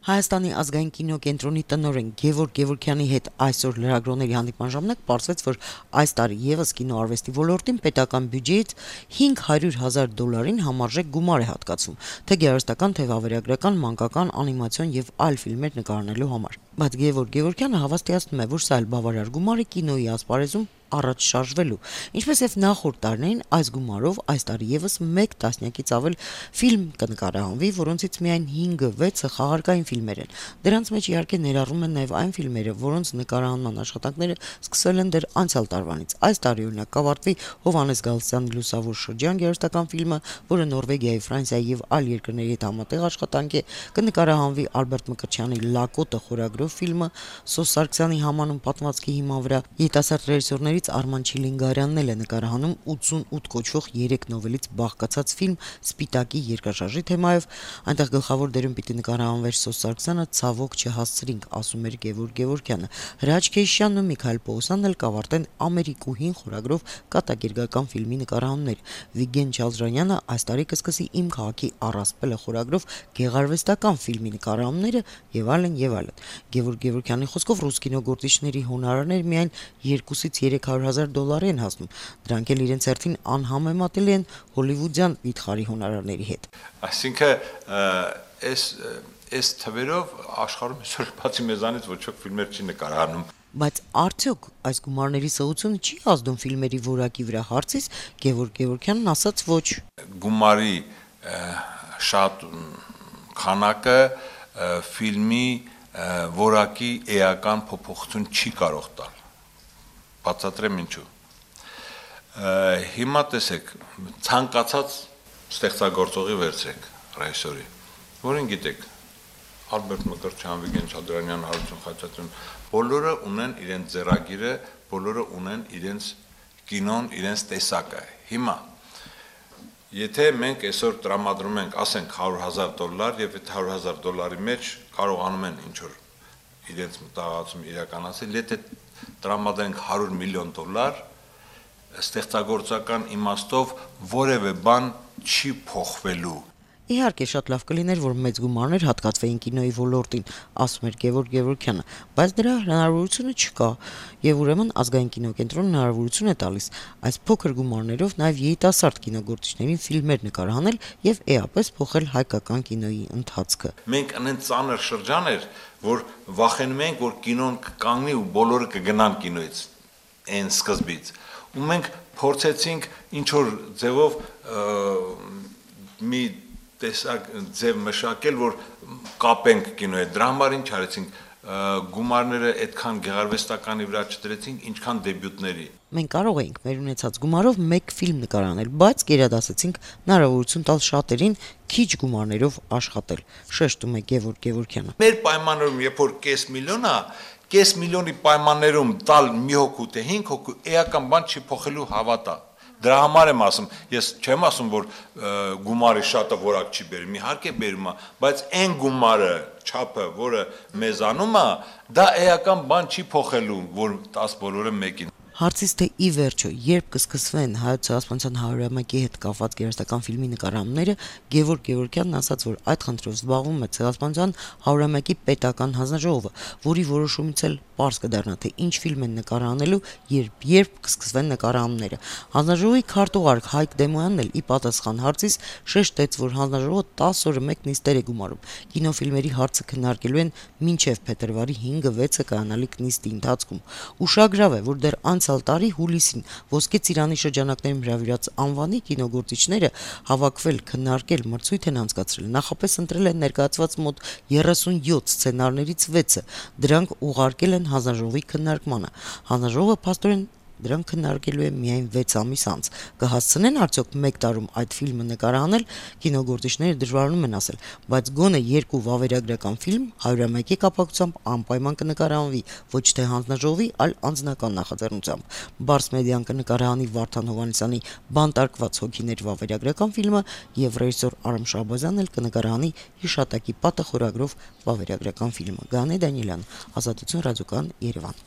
Հայաստանի ազգային կինոկենտրոնի տնօրեն Գևորգ Գևորգյանի հետ այսօր լրագրողների հանդիպման ժամանակ պարզվեց, որ այս տարի եւս կինոարվեստի ոլորտին պետական բյուջեից $500,000 համարժեք գումար է հատկացվում, թե գեղարվեստական, թե վավերագրական, մանկական, անիմացիոն եւ այլ ֆիլմեր նկարահանելու համար։ Բայց Գևորգ Գևորգյանը հավաստիացնում է, որ սա էլ բավարար գումար է կինոյի ասպարեզում առաջ շարժվելու, ինչպես եւ նախորդ տարիներին այս գումարով այս տարի եւս 1 տասնյակից ավել ֆիլմ կնկարահանվի, որոնցից միայն 5-6-ը խաղարկային ֆիլմեր են։ Դրանց մեջ իհարկե ներառվում են նաեւ այն ֆիլմերը, որոնց նկարահանման աշխատանքները սկսվել են դեռ անցյալ տարվանից։ Այս տարի օրինակ կավարտվի Հովհաննես Գալստյանի Լուսավոր շրջան գեղարվեստական ֆիլմը, որը Նորվեգիայի, Ֆրանսիայի եւ այլ երկրների հետ համատեղ աշխատանք է, կնկարահանվի Ալբերտ Մկրտչյանի Լակոտը խորագրով ֆիլմը, Սոս Սարգսյանի Համանուն պատմվածքի հիման վրա երիտասարդ ռեժիսորներից Արման Չիլինգարյանն էլ է նկարահանում 88 կոչվող 3 նովելից բաղկացած ֆիլմ Սպիտակի երկրաշարժի թեմայով, այնտեղ գլխավոր դերում պիտի նկարահանվեր Սոս Սարգսյանը, ցավոք չհասցրինք, ասում էր Գևորգ Գևորգյանը։ Հրաչ Քեյշյանն ու Միքայել Պողոսյանն էլ կավարտեն Ամերիկուհին խորագրով կատակերգական ֆիլմի նկարահանումներ։ Վիգեն Չալզրանյանը այս տարի կսկսի Իմ քաղաքի առասպելը խորագրով գեղարվեստական ֆիլմի նկարահանումները եւ այլն եւ այլն։ Գևորգ Գևորգյանի խոսքով ռուս կինոգործիչների հոնորարներ միայն $200,000-300,000 են հասնում, դրանք էլ իրենց հերթին անհամեմատելի են հոլիվուդյան վիթխարի հոնորարների հետ։ Այսինքն այս թվերով աշխարհում այսօր բացի մեզանից ոչ ոք ֆիլմեր չի նկարահանում։ Բայց արդյոք այս գումարների սղությունը չի ազդում ֆիլմերի որակի վրա, հարցից Գևորգ Գևորգյանն ասաց ոչ։ Գումարի շատ քանակը ֆիլմի որակի էական փոփոխություն չի կարող տալ։ Բացատրեմ ինչու։ Հիմա տեսեք, ցանկացած ստեղծագործողի վերցրեք, ռեժիսորի, որին գիտեք, Ալբերտ Մկրտչյան, Վիգեն Չալզրանյան, Հարություն Խաչատրյան, բոլորը ունեն իրենց ձեռագիրը, բոլորը ունեն իրենց կինոն, իրենց տեսակը։ Հիմա եթե մենք այսօր տրամադրում ենք, ասենք $100,000 եւ այդ $100,000 մեջ կարողանում են ինչ որ իրենց մտահղացում իրականացնել, եթե տրամադրենք $100 միլիոն, ստեղծագործական իմաստով որևէ բան չի փոխվելու։ Իհարկե շատ լավ կլիներ, որ մեծ գումարներ հատկացվեին կինոյի ոլորտին, ասում էր Գևորգ Գևորգյանը, բայց դրա հնարավորությունը չկա, եւ ուրեմն ազգային կինոկենտրոնը հնարավորություն է տալիս այս փոքր գումարներով նաեւ երիտասարդ կինոգործիչներին ֆիլմեր նկարահանել եւ էապես փոխել հայկական կինոյի ընթացքը։ Մենք անեն ծանր շրջան էր, որ վախենում ենք, որ կինոն կկանգնի ու բոլորը կգնան կինոյից այն սկզբից։ Ու մենք փորձեցինք ինչ որ ձևով մի տեսակ ձև մշակել, որ կապենք կինոյի հետ։ Դրա համար ինչ արեցինք, գումարները այդքան գեղարվեստականի վրա չդրեցինք, ինչքան դեբյուտների։ Մենք կարող էինք մեր ունեցած գումարով 1 ֆիլմ նկարահանել, բայց գերադասեցինք հնարավորություն տալ շատերին քիչ գումարներով աշխատել, շեշտում է Գևորգ Գևորգյանը։ Մեր պայմաններում, երբ որ կես միլիոնի պայմաններում տալ մի հոգու թե 5 հոգու էական բան չի փոխելու հավատա։ Դրա համար եմ ասում, ես չեմ ասում, որ գումարի շատը որակ չի բերում, իհարկե բերում է, բայց այն գումարը, չափը, որը մեզանում է, դա էական բան չի փոխելու, որ 10 բոլորը մեկին։ Հարցից թե ի վերջո երբ կսկսվեն Հայոց ցեղասպանության 100-ամյակի հետ կապված գեղարվեստական ֆիլմի նկարահանումները, Գևորգ Գևորգյանն ասաց, որ այդ խնդրով զբաղվում է ցեղասպանության 100-ամյակի պետական հանձնաժողովը, որի որոշումից էլ պարզ կդառնա, թե ինչ ֆիլմ են նկարահանելու, երբ կսկսվեն նկարահանումները։ Հանձնաժողովի քարտուղար Հայկ Դեմոյանն էլ ի պատասխան հարցից շեշտեց, որ հանձնաժողովը 10 օրը մեկ նիստեր է գումարում։ Կինոֆիլմերի հարցը քննարկելու են մինչև փետրվարի 5-6-ը կայանալիք նիստի ընթացքում։ Ուշագրավ է, որ դեռ անցյալ տարի հուլիսին Ոսկե Ծիրանի շրջանակներում հրավիրած անվանի կինոգործիչները հավաքվել, քննարկել, մրցույթ են անցկացրել, նախապես ընտրել են ներկայացված մոտ 37 սցենարներից 6-ը, դրանք ուղարկել են հանձնաժողովի քննարկմանը։ Հանձնաժողովը փաստորեն դրանք քննարկելու է միայն 6 ամիս անց։ Կհասցնեն արդյոք 1 տարում այդ ֆիլմը նկարահանել, կինոգործիչները դժվարանում են ասել, բայց գոնե 2 վավերագրական ֆիլմ 100-ամյակի կապակցությամբ անպայման կնկարահանվի ոչ թե հանձնաժողովի, այլ անձնական նախաձեռնությամբ։ Բարս մեդիան կնկարահանի Վարդան Հովհաննիսյանի Բանտարկված հոգիներ վավերագրական ֆիլմը եւ ռեժիսոր Արամ Շահբազյանն էլ կնկարահանի Հիշատակի պատը խորագրով վավերագրական ֆիլմը։ Գանե Դանիելյան, Ազատություն ռադիոկայան, Երևան։